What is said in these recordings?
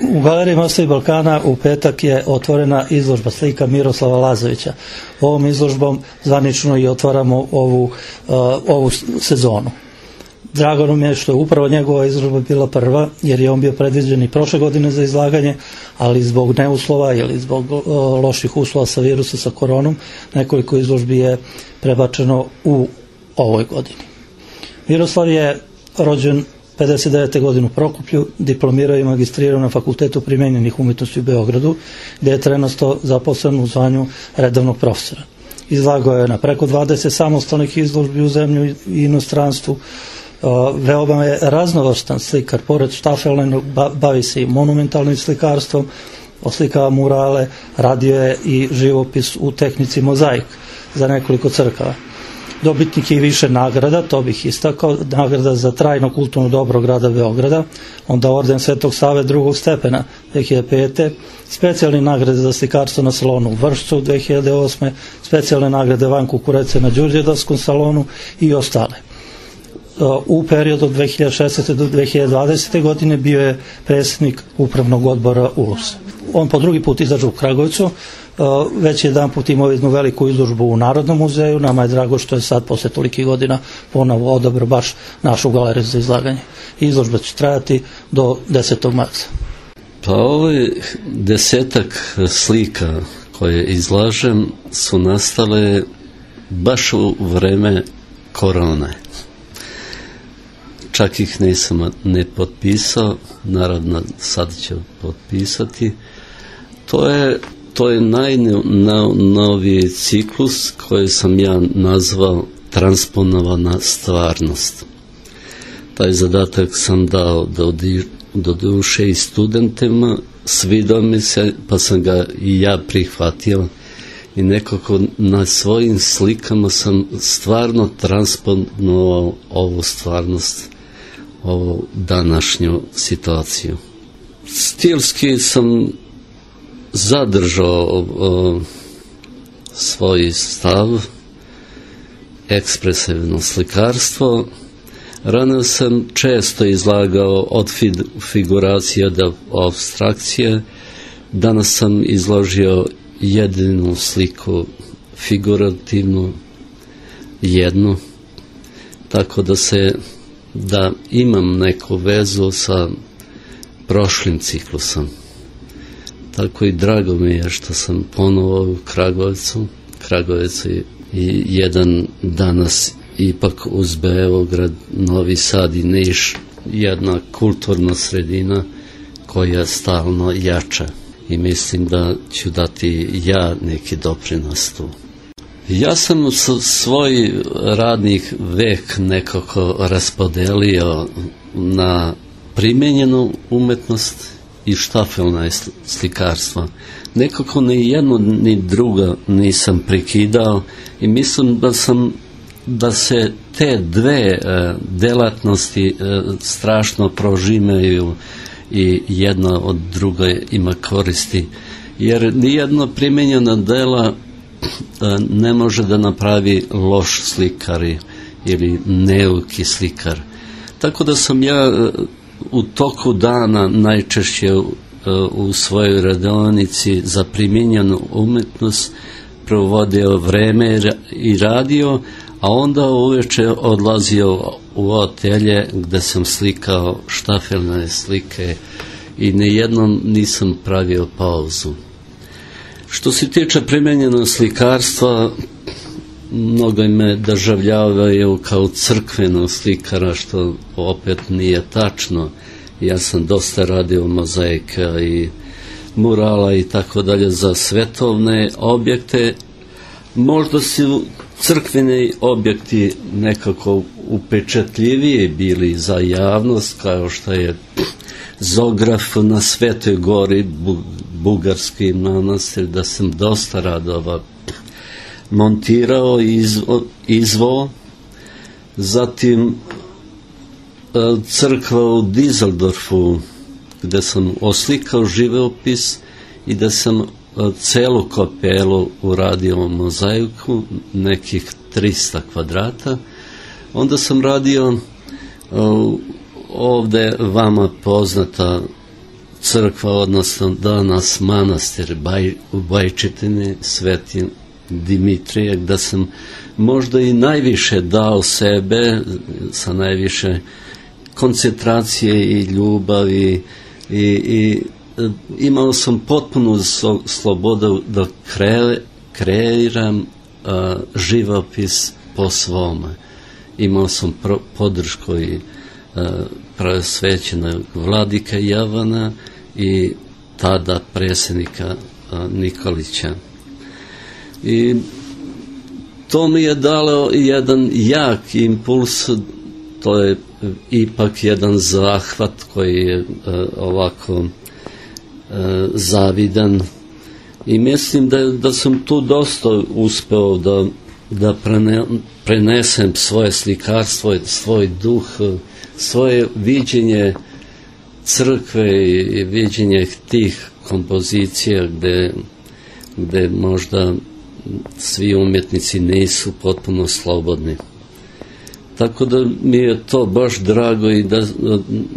U Galeriji Mosta i Balkana u petak je otvorena izložba slika Miroslava Lazovića. Ovom izložbom zvanično i otvaramo ovu sezonu. Drago nam je što je upravo njegova izložba bila prva, jer je on bio predviđen i prošle godine za izlaganje, ali zbog neuslova ili zbog loših uslova sa virusa, sa koronom, nekoliko izložbi je prebačeno u ovoj godini. Miroslav je rođen 59. godine u Prokuplju, diplomirao i magistrirao na Fakultetu primenjenih umjetnosti u Beogradu, gdje je trenutno zaposlen u zvanju redovnog profesora. Izlagao je na preko 20 samostalnih izložbi u zemlji i inostranstvu. Veoma je raznovrstan slikar, pored štafeljnog bavi se i monumentalnim slikarstvom, oslikava murale, radio je i živopis u tehnici mozaik za nekoliko crkava. Dobitnik je i više nagrada, to bih istakao, nagrada za trajno kulturno dobro grada Beograda, onda orden Svetog Save drugog stepena 2005. Specijalne nagrade za slikarstvo na salonu u Vršcu 2008. Specijalne nagrade Van Kukurece na Đurđevdavskom salonu i ostale. U periodu od 2016. do 2020. godine bio je predsjednik upravnog odbora ULUS. On po drugi put izađe u Kragujevcu, već jedan put imao jednu veliku izložbu u Narodnom muzeju. Nama je drago što je sad posle tolikih godina ponovo odabrao baš našu galeriju za izlaganje. Izložba će trajati do 10. marta. Pa ove 10 slika koje izlažem su nastale baš u vreme korone. Čak ih nisam ne potpisao, naravno sad ću potpisati. To je najnoviji ciklus koji sam ja nazvao transponovana stvarnost. Taj zadatak sam dao do duše i studentima, svidao mi se, pa sam ga i ja prihvatio i nekako na svojim slikama sam stvarno transponovao ovu stvarnost, ovu današnju situaciju. Stilski sam zadržao svoj stav, ekspresivno slikarstvo. Rano sam često izlagao od figuracije do apstrakcije. Danas sam izložio jedinu sliku figurativnu, jednu, tako da imam neku vezu sa prošlim ciklusom. Tako i drago mi je što sam ponovo u Kragujevcu. Kragujevac je jedan danas ipak uz Beograd, Novi Sad i Niš, jedna kulturna sredina koja stalno jača. I mislim da ću dati ja neki doprinos tu. Ja sam svoj radnih vek nekako raspodelio na primenjenu umetnost i štafelna slikarstva. Nekako ni jedno ni drugo nisam prekidao i mislim da se te dve delatnosti strašno prožimaju i jedna od druge ima koristi. Jer nijedno primenjena dela ne može da napravi loš slikar ili neuki slikar. Tako da sam ja u toku dana najčešće u svojoj radionici za primijenjenu umjetnost provodio vreme i radio, a onda uveče odlazio u atelje gde sam slikao štafelne slike i nijednom nisam pravio pauzu. Što se tiče primenjenog slikarstva, mnogo me doživljavaju kao crkvenog slikara, što opet nije tačno. Ja sam dosta radio mozaika i murala i tako dalje za svetovne objekte. Možda su crkveni objekti nekako upečatljiviji bili za javnost, kao što je Zograf na Svetoj gori, bugarski manastir, da sam dosta radova montirao i izvao. Zatim crkva u Dizeldorfu, gde sam oslikao živopis i da sam celu kapelu uradio mozaiku, nekih 300 kvadrata. Onda sam radio ovde vama poznata crkva, odnosno danas manastir u Bajčetini, Sveti Dimitrije, gde sam možda i najviše dao sebe, sa najviše koncentracije i ljubavi i imao sam potpunu slobodu da kreiram živopis po svome. Imao sam podršku i preosvećenog vladike Javana i tada predsjednika Nikolića. I to mi je dalo jedan jak impuls, to je ipak jedan zahvat koji je ovako zavidan i mislim da sam tu dosta uspeo da prenesem svoje slikarstvo, svoj duh, svoje viđenje crkve i viđenje tih kompozicija gde možda svi umjetnici nisu potpuno slobodni. Tako da mi je to baš drago i da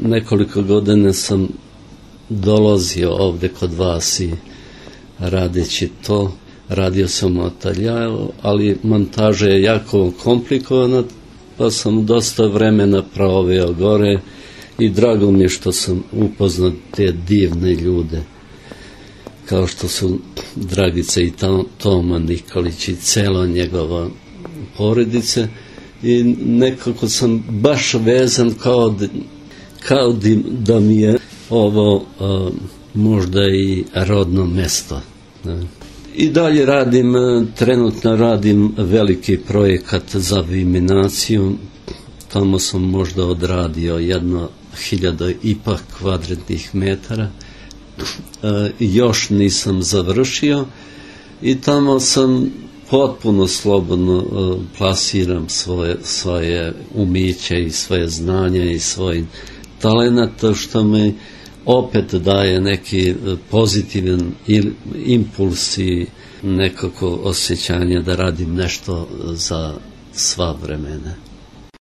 nekoliko godina sam dolazio ovde kod vas i radeći to, radio sam u ateljeru, ali montaža je jako komplikovana, pa sam dosta vremena proveo gore i drago mi je što sam upoznao te divne ljude, kao što su Dragica i Toma Nikolić i cela njegova porodice, i nekako sam baš vezan kao da mi je ovo možda i rodno mesto. I dalje trenutno radim veliki projekat za viminaciju. Tamo sam možda odradio 1.000 ipak kvadratnih metara. Još nisam završio i tamo sam potpuno slobodno plasiram svoje umiće i svoje znanje i svoj talenat, što mi opet daje neki pozitivan impuls i nekako osjećanje da radim nešto za sva vremena.